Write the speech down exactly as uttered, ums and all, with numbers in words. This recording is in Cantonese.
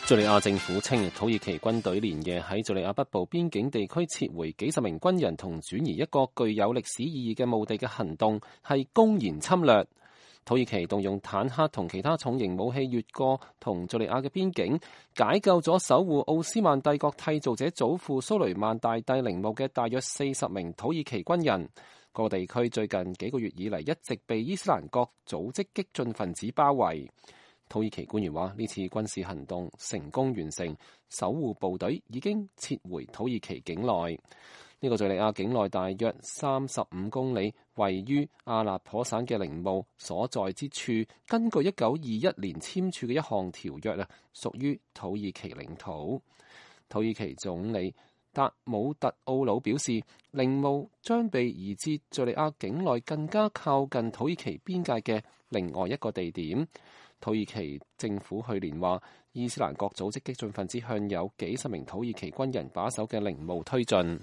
敘利亞政府稱，土耳其軍隊連夜喺敘利亞北部邊境地區撤回幾十名軍人同轉移一個具有歷史意義嘅墓地嘅行動係公然侵略。土耳其動用坦克同其他重型武器越過同敘利亞嘅邊境，解救咗守護奧斯曼帝國締造者祖父蘇雷曼大帝陵墓嘅大約四十名土耳其軍人。個地區最近幾個月以嚟一直被伊斯蘭國組織激進分子包圍。土耳其官員話，呢次軍事行動成功完成，守護部隊已經撤回土耳其境內。呢個敘利亞境內大約三十五公里，位於阿勒頗省嘅陵墓所在之處，根據一九二一年簽署嘅一項條約啊，屬於土耳其領土。土耳其總理達姆特奧魯表示，陵墓將被移至敘利亞境內更加靠近土耳其邊界嘅另外一個地點。土耳其政府去年話，伊斯蘭國組織激進分子向有幾十名土耳其軍人把守嘅陵墓推進。